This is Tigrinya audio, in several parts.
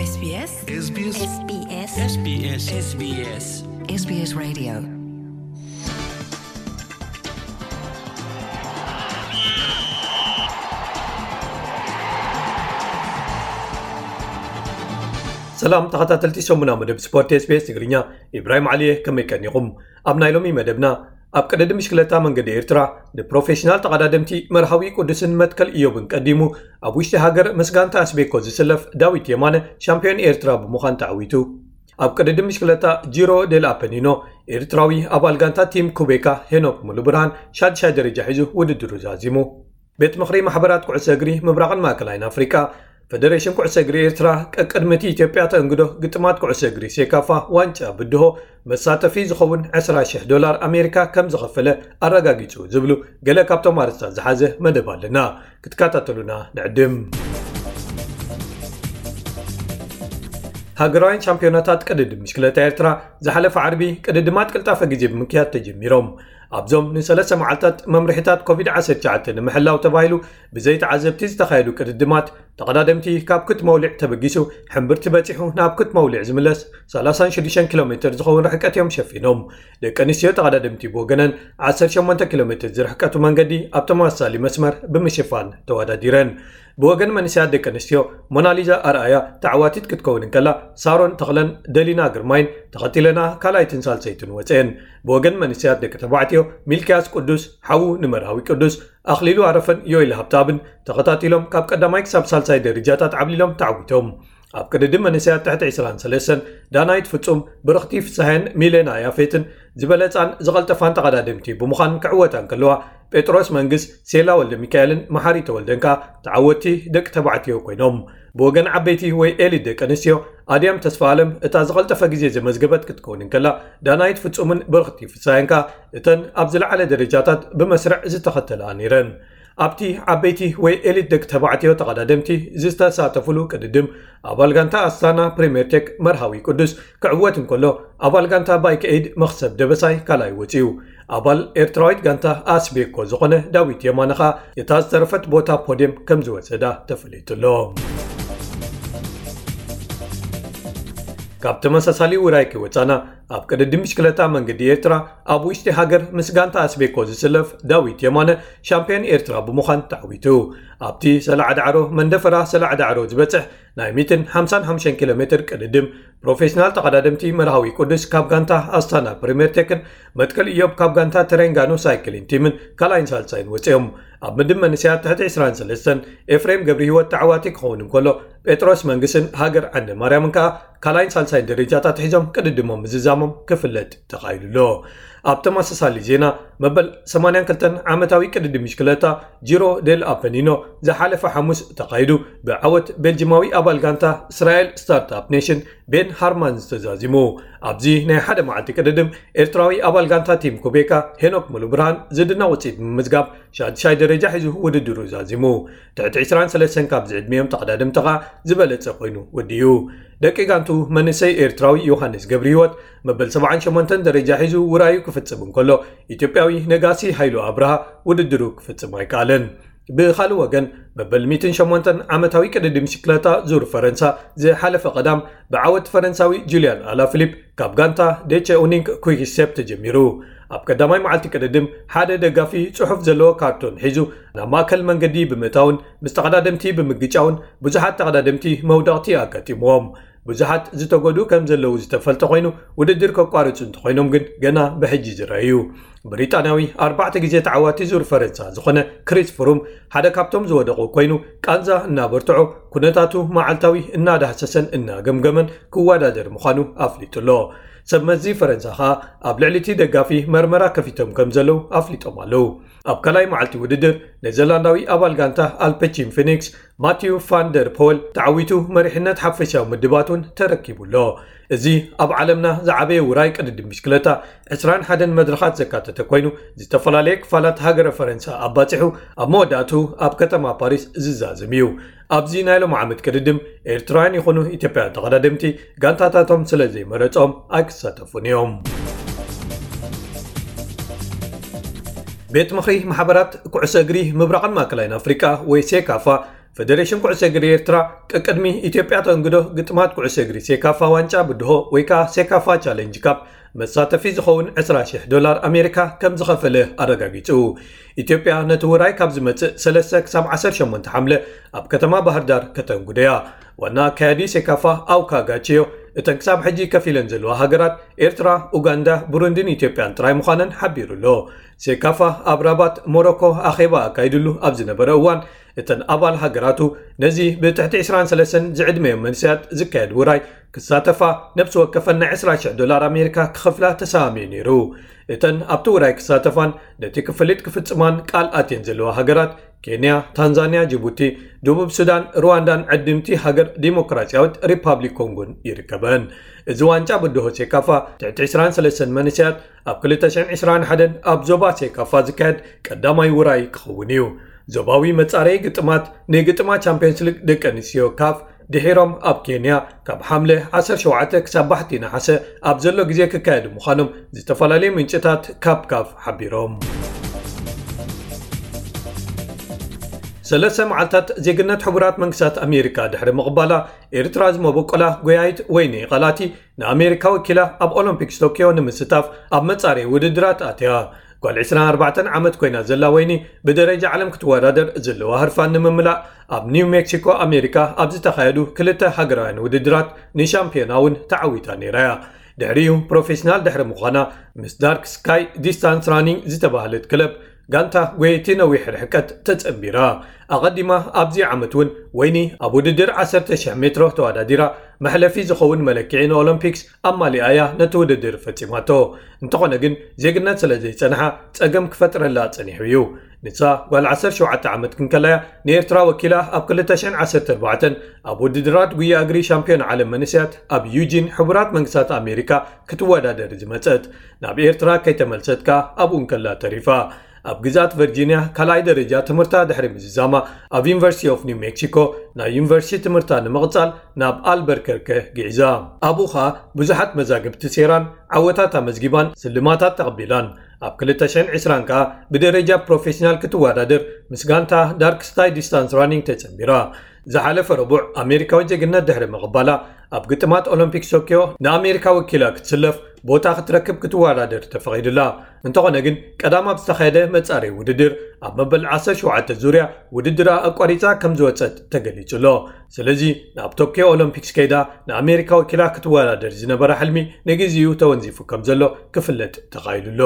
SBS SBS SBS SBS SBS SBS Radio. ሰላም ተኸታተልቲ ሰሙና መደብ ስፖርት SBS ትግርኛ፣ ኢብራሂም ዓሊ እየ። ከመይ ቀኒኹም? ኣብ ናይ ሎሚ መደብና፣ ኣብ ቅድድም ብሽክለታ መንገዲ ኤርትራ ንፕሮፌሽናል ተቐዳደምቲ መርሃዊ ቅዱስን መትከል ኢዮብን ቀዲሙ፣ ኣብ ውሽጢ ሃገር ምስ ጋንታ ኣስቤኮ ዝስለፍ ዳዊት የማነ ሻምፒዮን ኤርትራ ብምዃን ተዓዊቱ። ኣብ ቅድድም ብሽክለታ ጂሮ ዴል ኣፐኒኖ ኤርትራዊ ኣባል ጋንታ ቲም ኩቤካ ሄኖክ ሙሉብርሃን ሻድሻይ ደረጃ ሒዙ ውድድሩ ዛዚሙ። ቤት ምኽሪ ማሕበራት ኩዕሶ እግሪ ምብራቕን ማእከላይን ኣፍሪቃ፣ ፈደሬሽን ኩዕሶ እግሪ ኤርትራ፣ ቀቅድሚ እቲ ኢትዮጵያ ተእንግዶ ግጥማት ኩዕሶ እግሪ ሴካፋ ዋንጫ ብድሆ መሳተፊ ዝኸውን ዕስራ ሽሕ ዶላር ኣሜሪካ ከም ዝኸፈለ ኣረጋጊጹ ዝብሉ ገለ ካብቶም ኣርእስታት ዝሓዘ መደብ ኣለና። ክትከታተሉና ንዕድም። ሃገራውያን ሻምፒዮናታት ቅድድም ብሽክለታ ኤርትራ ዝሓለፈ ዓርቢ ቅድድማት ቅልጣፈ ግዜ ብምክያድ ተጀሚሮም። ኣብዞም ንሰለስተ መዓልታት መምርሒታት ኮቪድ ዓሰርተ ትሽዓተ ንምሕላው ተባሂሉ ብዘይተዓዘብቲ ዝተኻየዱ ቅድድማት፣ ተቐዳደምቲ ካብ ክትመውሊዕ ተበጊሱ ሕምብርቲ በጺሑ ናብ ክትመውሊዕ ዝምለስ ሰላሳን ሽዱሽተን ኪሎ ሜትር ዝኸውን ርሕቀት እዮም ሸፊኖም። ደቂ ኣንስትዮ ተቐዳደምቲ ብወገነን ዓሰርተ ሸሞንተ ኪሎ ሜትር ዝርሕቀቱ መንገዲ ኣብ ተመሳሳሊ መስመር ብምሽፋን ተወዳዲረን። ብወገን መንእሰያት ደቂ ኣንስትዮ፣ ሞናሊዛ ኣርኣያ ተዓዋቲት ክትከውን እንከላ፣ ሳሮን ተኽለን ደሊና ግርማይን ተኸቲለና ካልኣይትን ሳልሰይትን ወፅኤን። ብወገን መንእሰያት ደቂ ተባዕትዮ፣ ሚልክያስ ቅዱስ፣ ሓዉ ንመርሃዊ ቅዱስ፣ ኣኽሊሉ ኣረፈን ዮኤል ሃብተኣብን ተኸታቲሎም ካብ ቀዳማይ ክሳብ ሳልሳይ ደረጃታት ዓብሊሎም ተዓዊቶም። ኣብ ቅድድም መንእሰያት ትሕቲ ዕስራን ሰለስተን፣ ዳናይት ፍጹም፣ ብርኽቲ ፍስሃየን ሚሌና ያፌትን ዝበለጻን ዝቐልጠፋን ተቐዳደምቲ ብምዃን ክዕወታ እንከለዋ፣ ጴጥሮስ መንግስ፣ ሴላ ወልደ ሚካኤልን መሓሪ ተወልደን ከኣ ተዓወትቲ ደቂ ተባዕትዮ ኮይኖም። ብወገን ዓበይቲ ወይ ኤሊት ደቂ ኣንስትዮ፣ ኣድያም ተስፋ ኣለም እታ ዝቐልጠፈ ግዜ ዘመዝገበት ክትከውን እንከላ፣ ዳናይት ፍጹምን ብርኽቲ ፍስሃየን ከኣ እተን ኣብ ዝለዓለ ደረጃታት ብመስርዕ ዝተኸተላ ነይረን። ኣብቲ ዓበይቲ ወይ ኤሊት ደቂ ተባዕትዮ ተቐዳደምቲ ዝተሳተፉሉ ቅድድም፣ ኣባል ጋንታ ኣስታና ፕሪምየር ቴክ መርሃዊ ቅዱስ ክዕወት እንከሎ፣ ኣባል ጋንታ ባይክ ኤድ መኽሰብ ደበሳይ ካልኣይ ወጺኡ። ኣባል ኤርትራዊት ጋንታ ኣስቤኮ ዝኾነ ዳዊት የማነ ኸኣ እታ ዝተረፈት ቦታ ፖድየም ከም ዝወሰዳ ተፈሊጡ ኣሎ። ካብ ተመሳሳሊ ውራይ ከይወጻና፣ ኣብ ቅድድም ብሽክለታ መንገዲ ኤርትራ ኣብ ውሽጢ ሃገር ምስ ጋንታ ኣስቤኮ ዝስለፍ ዳዊት የማነ ሻምፒዮን ኤርትራ ብምዃን ተዓዊቱ። ኣብቲ ሰላዓ ዳዕሮ መንደፈራ ሰላዓ ዳዕሮ ዝበጽሕ ናይ ሚእትን ሓምሳን ሓሙሽተን ኪሎ ሜትር ቅድድም፣ ፕሮፌሽናል ተቐዳደምቲ መርሃዊ ቅዱስ ካብ ጋንታ ኣስታና ፕሪምየር ቴክን፣ መትከል ኢዮብ ካብ ጋንታ ተሬንጋኖ ሳይክሊን ቲምን ካልኣይን ሳልሳይን ወጺኦም። ኣብ ምድብ መንእሰያት ትሕቲ ዕስራን ሰለስተን፣ ኤፍሬም ገብረ ህይወት ተዓዋቲ ክኸውን እንከሎ፣ ጴጥሮስ መንግስን ሃገር ዓንደ ማርያምን ከኣ ካልኣይን ሳልሳይን ደረጃታት ሒዞም ቅድድሞም ምዝዛሞም ክፍለጥ ተኻኢሉ ኣሎ። ኣብ ተመሳሳሊ ዜና፣ መበል ሰማንያን ክልተን ዓመታዊ ቅድድም ብሽክለታ ጂሮ ዴል ኣፐኒኖ ዝሓለፈ ሓሙስ ተኻይዱ፣ ብዓወት ቤልጂማዊ ኣባል ጋንታ እስራኤል ስታርትኣፕ ኔሽን ቤን ሃርማን ዝተዛዚሙ። ኣብዚ ናይ ሓደ መዓልቲ ቅድድም፣ ኤርትራዊ ኣባል ጋንታ ቲም ኩቤካ ሄኖክ ሙሉብርሃን ዝድነቕ ውጽኢት ብምምዝጋብ፣ ሻድሻይ ደረጃ ሒዙ ውድድሩ ዛዚሙ። ትሕቲ ዕስራን ሰለስተን ካብ ዝዕድሚኦም ተቐዳደምቲ ኸኣ ዝበለጸ ኮይኑ ወዲኡ። ደቂ ጋንቱ መንእሰይ ኤርትራዊ ዮሃንስ ገብረህይወት መበል ሰብዓን ሸሞንተን ደረጃ ሒዙ ውራዩ ክፍጽም እንከሎ፣ ኢትዮጵያዊ ነጋሲ ሃይሉ ኣብርሃ ውድድሩ ክፍጽም ኣይከኣለን። ብኻልእ ወገን፣ መበል ሚእትን ሸሞንተን ዓመታዊ ቅድድም ብሽክለታ ዙር ፈረንሳ ዝሓለፈ ቀዳም ብዓወት ፈረንሳዊ ጁልያን ኣላፊሊፕ ካብ ጋንታ ዴቸ ኡኒንክ ኩይክ ስቴፕ ተጀሚሩ። ኣብ ቀዳማይ መዓልቲ ቅድድም፣ ሓደ ደጋፊ ጽሑፍ ዘለዎ ካርቶን ሒዙ ናብ ማእከል መንገዲ ብምእታውን ምስ ተቐዳደምቲ ብምግጫውን ብዙሓት ተቐዳደምቲ መውደቕቲ ኣጋጢምዎም። ብዙሓት ዝተጎድኡ ከም ዘለዉ ዝተፈልጠ ኮይኑ፣ ውድድር ከቋርጹ እንተኾይኖም ግን ገና ብሕጂ ዝረኣዩ። ብሪጣንያዊ ኣርባዕተ ግዜ ተዓዋቲ ዙር ፈረንሳ ዝኾነ ክሪስ ፍሩም ሓደ ካብቶም ዝወደቑ ኮይኑ፣ ቃንዛ እናበርትዖ፣ ኩነታቱ መዓልታዊ እናዳህሰሰን እናገምገመን ክወዳደር ምዃኑ ኣፍሊጡ ኣሎ። ሰብ መዚ ፈረንሳ ኸኣ ኣብ ልዕሊ እቲ ደጋፊ መርመራ ከፊቶም ከም ዘለዉ ኣፍሊጦም ኣለዉ። ኣብ ካልኣይ መዓልቲ ውድድር፣ ኔዘርላንዳዊ ኣባል ጋንታ ኣልፐቺን ፊኒክስ ማቲዩ ፋን ደር ፖል ተዓዊቱ መሪሕነት ሓፈሻዊ ምድባት እውን ተረኪቡ ኣሎ። እዚ ኣብ ዓለምና ዝዓበየ ውራይ ቅድድም ብሽክለታ ዕስራን ሓደን መድረኻት ዘካተተ ኮይኑ፣ ዝተፈላለየ ክፋላት ሃገረ ፈረንሳ ኣባጺሑ፣ ኣብ መወዳእቱ ኣብ ከተማ ፓሪስ ዝዛዘም እዩ። ኣብዚ ናይ ሎም ዓመት ቅድድም፣ ኤርትራውያን ይኹኑ ኢትዮጵያውያን ተቐዳደምቲ ጋንታታቶም ስለ ዘይመረጾም ኣይክሳተፉን እዮም። ቤት ምኽሪ ማሕበራት ኩዕሶ እግሪ ምብራቕን ማእከላይን ኣፍሪቃ ወይ ሴካፋ ፌደሬሽን ኩዕሶ እግሪ ኤርትራ፣ ቅቅድሚ ኢትዮጵያ ተንግዶ ግጥማት ኩዕሶ እግሪ ሴካፋ ዋንጫ ብድሆ ወይ ከዓ ሴካፋ ቻሌንጅ ካፕ መሳተፊ ዝኸውን ዕስራ ሺሕ ዶላር ኣሜሪካ ከም ዝኸፈለ ኣረጋጊጹ። ኢትዮጵያ ነቲ ውራይ ካብ ዝመጽእ ሰለስተ ክሳብ ዓሰርተ ሸሞንተ ሓምለ ኣብ ከተማ ባህር ዳር ከተንግዶ እያ። ዋና ኣካያዲ ሴካፋ ኣውካ ጋቺዮ፣ እተን ክሳብ ሕጂ ከፊለን ዘለዋ ሃገራት ኤርትራ፣ ኡጋንዳ፣ ብሩንዲን ኢትዮጵያን ጥራይ ምዃነን ሓቢሩ ኣሎ። ሴካፋ ኣብ ራባት ሞሮኮ ኣኼባ ኣካይድሉ ኣብ ዝነበረ እዋን፣ እተን ኣባል ሃገራቱ ነዚ ብትሕቲ ዕስራን ሰለስተን ዝዕድመዮም መንእሰያት ዝካየድ ውራይ ክሳተፋ፣ ነብሲ ወከፈን ናይ ዕስራ ሺሕ ዶላር ኣሜሪካ ክኸፍላ ተሰማሚዑ ነይሩ። እተን ኣብቲ ውራይ ክሳተፋን ነቲ ክፍሊት ክፍጽማን ቃል ኣትየን ዘለዋ ሃገራት ኬንያ፣ ታንዛንያ፣ ጅቡቲ፣ ደቡብ ሱዳን፣ ሩዋንዳን ዕድምቲ ሃገር ዲሞክራሲያዊት ሪፓብሊክ ኮንጎን ይርከበን። እዚ ዋንጫ ብድሆ ሴካፋ ትሕቲ ዕስራን ሰለስተን መንእሰያት ኣብ ክልተ ሽሕን ዕስራን ሓደን ኣብ ዞባ ሴካፋ ዝካየድ ቀዳማይ ውራይ ክኸውን እዩ። ዞባዊ መጻረዪ ግጥማት ንግጥማት ቻምፒዮንስ ሊግ ደቂ ኣንስትዮ ካፍ ድሒሮም ኣብ ኬንያ ካብ ሓምለ ዓሰርተ ሸውዓተ ክሳብ ባሕቲ ነሓሰ ኣብ ዘሎ ግዜ ክካየዱ ምዃኖም ዝተፈላለዩ ምንጭታት ካብ ካፍ ሓቢሮም። ሰለስተ መዓልታት ዜግነት ሕቡራት መንግስታት ኣሜሪካ ድሕሪ ምቕባላ፣ ኤርትራ ዝመበቆላ ጎያይት ወይኒ ቓላቲ ንኣሜሪካ ወኪላ ኣብ ኦሎምፒክስ ቶኪዮ ንምስታፍ ኣብ መጻረዪ ውድድራት ኣትያ። ጓል ዕስራን ኣርባዕተን ዓመት ኮይና ዘላ ወይኒ፣ ብደረጃ ዓለም ክትወዳደር ዘለዋ ህርፋን ንምምላእ ኣብ ኒው ሜክሲኮ ኣሜሪካ ኣብ ዝተኻየዱ ክልተ ሃገራውያን ውድድራት ንሻምፒዮና እውን ተዓዊታ ነይራ እያ። ድሕሪኡ ፕሮፌሽናል ድሕሪ ምዃና፣ ምስ ዳርክ ስካይ ዲስታንስ ራኒንግ ዝተባህለት ክለብ ጋንታ ጎየይቲ ነዊሕ ርሕቀት ተጸንቢራ። ኣቐዲማ ኣብዚ ዓመት እውን ወይኒ ኣብ ውድድር ዓሰርተ ሺሕ ሜትሮ ተወዳዲራ፣ መሕለፊ ዝኸውን መለክዒ ንኦሎምፒክስ ኣማሊኣ እያ ነቲ ውድድር ፈጺማቶ። እንተኾነ ግን፣ ዜግነት ስለ ዘይጸንሓ ጸገም ክፈጥረላ ጸኒሑ እዩ። ንሳ ጓል ዓሰርተ ሸውዓተ ዓመት ክንከላያ ንኤርትራ ወኪላ ኣብ ክልተ ሽሕን ዓሰርተ ኣርባዕተን ኣብ ውድድራት ጉያ እግሪ ሻምፒዮን ዓለም መንእሰያት ኣብ ዩጂን ሕቡራት መንግስታት ኣሜሪካ ክትወዳደር ዝመጸት፣ ናብ ኤርትራ ከይተመልሰት ከኣ ኣብኡ እንከላ ተሪፋ። ኣብ ግዝኣት ቨርጂንያ ካልኣይ ደረጃ ትምህርታ ድሕሪ ምዝዛማ፣ ኣብ ዩኒቨርሲቲ ኦፍ ኒው ሜክሲኮ ናይ ዩኒቨርሲቲ ትምህርታ ንምቕጻል ናብ ኣልበርከርከ ግዒዛ። ኣብኡ ኸኣ ብዙሓት መዛግብቲ ሴራን ዓወታት ኣመዝጊባን ስልማታት ተቐቢላን። ኣብ ክልተ ሽሕን ዕስራን ከኣ ብደረጃ ፕሮፌሽናል ክትወዳደር ምስ ጋንታ ዳርክ ስካይ ዲስታንስ ራኒንግ ተጸንቢራ። ዝሓለፈ ረቡዕ ኣሜሪካዊ ዜግነት ድሕሪ ምቕባላ፣ ኣብ ግጥማት ኦሎምፒክስ ቶኪዮ ንኣሜሪካ ወኪላ ክትስለፍ ቦታ ክትረክብ ክትወዳደር ተፈቒዱላ። እንተኾነ ግን፣ ቀዳም ኣብ ዝተኻየደ መጻረዪ ውድድር ኣብ መበል ዓሰርተ ሸውዓተ ዙርያ ውድድራ ኣቋሪጻ ከም ዝወጸት ተገሊጹ ኣሎ። ስለዚ፣ ናብ ቶኪዮ ኦሎምፒክስ ከይዳ ንኣሜሪካ ወኪላ ክትወዳደር ዝነበራ ሕልሚ ንግዚኡ ተወንዚፉ ከም ዘሎ ክፍለጥ ተኻኢሉ ኣሎ።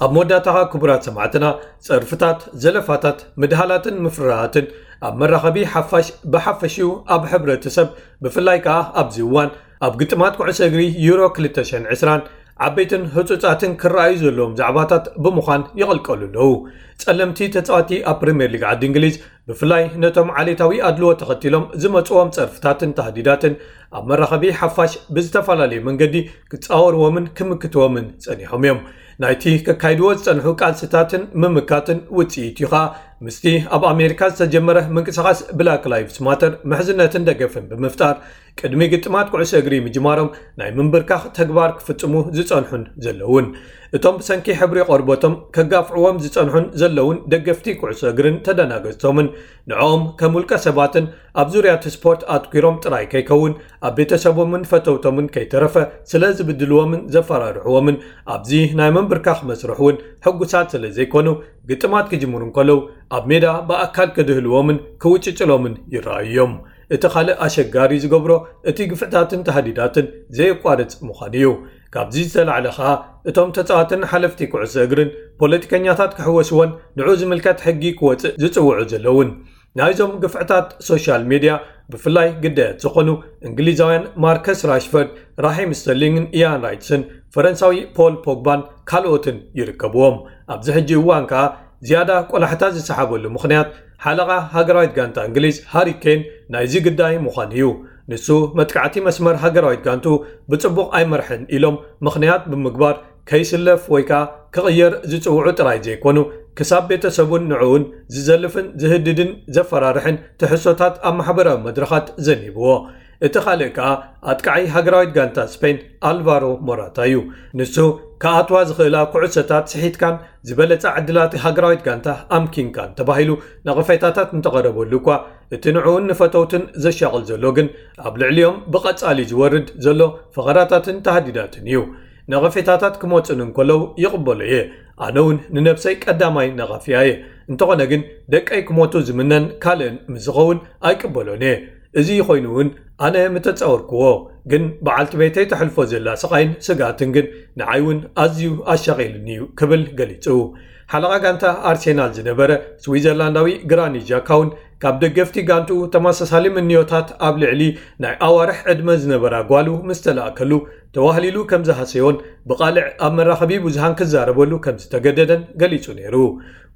ኣብ መወዳእታ፣ ክቡራት ሰማዕትና፣ ጸርፍታት፣ ዘለፋታት፣ ምድሃላትን ምፍርራሃትን ኣብ መራኸቢ ሓፋሽ ብሓፈሽኡ ኣብ ሕብረተሰብ፣ ብፍላይ ከኣ ኣብዚ እዋን ኣብ ግጥማት ኩዕሶ እግሪ ዩሮ ክልተ ሽሕን ዕስራን ዓበይትን ህጹጻትን ክረኣዩ ዘለዎም ዛዕባታት ብምዃን ይቕልቀሉ ኣለዉ። ጸለምቲ ተጻወቲ ኣብ ፕሪምየር ሊግ ዓዲ እንግሊዝ፣ ብፍላይ ነቶም ዓሌታዊ ኣድልዎ ተኸቲሎም ዝመጽዎም ጸርፍታትን ታህዲዳትን ኣብ መራኸቢ ሓፋሽ ብዝተፈላለየ መንገዲ ክጻወርዎምን ክምክትዎምን ጸኒሖም እዮም። ናይቲ ከካይድዎ ዝጸንሑ ቃልስታትን ምምካትን ውጽኢት እዩ ኸኣ፣ ምስቲ ኣብ ኣሜሪካ ዝተጀመረ ምንቅስቓስ ብላክ ላይቭስ ማተር ምሕዝነትን ደገፍን ብምፍጣር፣ ቅድሚ ግጥማት ኩዕሶ እግሪ ምጅማሮም ናይ ምንብርካኽ ተግባር ክፍጽሙ ዝጸንሑን ዘለውን፣ እቶም ብሰንኪ ሕብሪ ቆርበቶም ከጋፍዕዎም ዝጸንሑን ዘለውን ደገፍቲ ኩዕሶ እግርን ተደናገጽቶምን፣ ንዕኦም ከም ውልቀ ሰባትን ኣብ ዙርያ እቲ ስፖርት ኣትኲሮም ጥራይ ከይከውን፣ ኣብ ቤተሰቦምን ፈተውቶምን ከይተረፈ ስለ ዝብድልዎምን ዘፈራርሕዎምን፣ ኣብዚ ናይ ምንብርካኽ መስርሕ እውን ሕጉሳት ስለ ዘይኮኑ፣ ግጥማት ክጅምሩ እንከለዉ ኣብ ሜዳ ብኣካል ክድህልዎምን ክውጭጭሎምን ይረኣዩ እዮም። እቲ ካልእ ኣሸጋሪ ዝገብሮ፣ እቲ ግፍዕታትን ታህዲዳትን ዘየቋርጽ ምዃኑ እዩ። ካብዚ ዝተላዕለ ኸኣ፣ እቶም ተጻዋትን ሓለፍቲ ኩዕሶ እግርን ፖለቲከኛታት ክሕወስዎን ንዑ ዝምልከት ሕጊ ክወጽእ ዝጽውዑ ዘለውን፣ ናይዞም ግፍዕታት ሶሻል ሜድያ ብፍላይ ግዳያት ዝኾኑ እንግሊዛውያን ማርከስ ራሽፈርድ፣ ራሂም ስተርሊንግን ኢያን ራይትስን፣ ፈረንሳዊ ፖል ፖግባን ካልኦትን ይርከብዎም። ኣብዚ ሕጂ እዋን ከኣ ዝያዳ ቆላሕታ ዝሰሓበሉ ምኽንያት፣ ሓለቓ ሃገራዊት ጋንታ እንግሊዝ ሃሪ ኬን ናይዚ ግዳይ ምዃኑ እዩ። ንሱ፣ መጥቃዕቲ መስመር ሃገራዊት ጋንቱ ብጽቡቕ ኣይመርሐን ኢሎም ምኽንያት ብምግባር፣ ከይስለፍ ወይ ከኣ ክቕየር ዝጽውዑ ጥራይ ዘይኮኑ፣ ክሳብ ቤተሰቡን ንዕኡን ዝዘልፍን ዝህድድን ዘፈራርሕን ትሕዝቶታት ኣብ ማሕበራዊ መድረኻት ዘኒብዎ። እቲ ካልእ ከኣ ኣጥቃዓይ ሃገራዊት ጋንታ ስፔን ኣልቫሮ ሞራታ እዩ። ንሱ፣ ክኣትዋ ዝኽእላ ኩዕሶታት ስሒትካን ዝበለጻ ዕድላት ሃገራዊት ጋንታ ኣምኪንካን ተባሂሉ ነቐፌታታት እንተቐረበሉ እኳ፣ እቲ ንዕኡን ንፈተውትን ዘሻቕል ዘሎ ግን ኣብ ልዕሊኦም ብቐጻሊ ዝወርድ ዘሎ ፈኸራታትን ተሃዲዳትን እዩ። ነቐፌታታት ክመጹን እንከለዉ ይቕበሎ እየ። ኣነ እውን ንነብሰይ ቀዳማይ ነቓፊያ እየ። እንተኾነ ግን ደቀይ ክሞቱ ዝምነን ካልእን ምስ ዝኸውን ኣይቅበሎን እየ። እዚ ኮይኑ እውን ኣነ ምተጻወርክዎ፣ ግን በዓልቲ ቤተይ ተሕልፎ ዘላ ስቓይን ስግኣትን ግን ንዓይ እውን ኣዝዩ ኣሻቒሉኒ እዩ ክብል ገሊጹ። ሓለቓ ጋንታ ኣርሴናል ዝነበረ ስዊዘርላንዳዊ ግራኒት ዣካ እውን ካብ ደገፍቲ ጋንትኡ ተመሳሳሊ ምንዮታት ኣብ ልዕሊ ናይ ኣዋርሕ ዕድመ ዝነበራ ጓሉ ምስ ተላእከሉ ተዋህሊሉ ከም ዝሃሰዮን ብቓልዕ ኣብ መራኸቢ ብዙሃን ክዛረበሉ ከም ዝተገደደን ገሊጹ ነይሩ።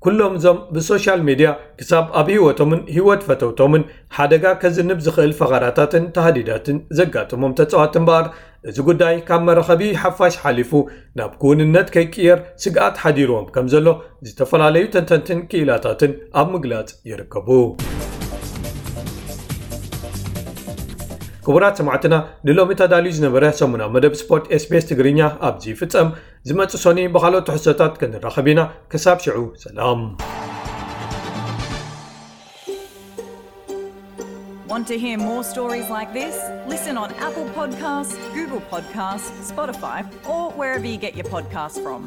ኩሎም እዞም ብሶሻል ሜድያ ክሳብ ኣብ ህይወቶምን ህይወት ፈተውቶምን ሓደጋ ከዝንብ ዝኽእል ፈኸራታትን ተሃዲዳትን ዘጋጥሞም ተጻዋቲ እምበኣር፣ እዚ ጉዳይ ካብ መራኸቢ ሓፋሽ ሓሊፉ ናብ ክውንነት ከይቅየር ስግኣት ሓዲርዎም ከም ዘሎ ዝተፈላለዩ ተንተንትን ክኢላታትን ኣብ ምግላጽ ይርከቡ። ክቡራት ሰማዕትና፣ ንሎሚ ተዳልዩ ዝነበረ ሰሙናዊ መደብ ስፖርት ኤስቢኤስ ትግርኛ ኣብዚ ይፍጸም። ዝመጽእ ሶኒ ብኻልኦት ትሕዝቶታት ክንራኸብ ኢና። ክሳብ ሽዑ ሰላም። Want to hear more stories like this? Listen on Apple Podcasts, Google Podcasts, Spotify, or wherever you get your podcasts from.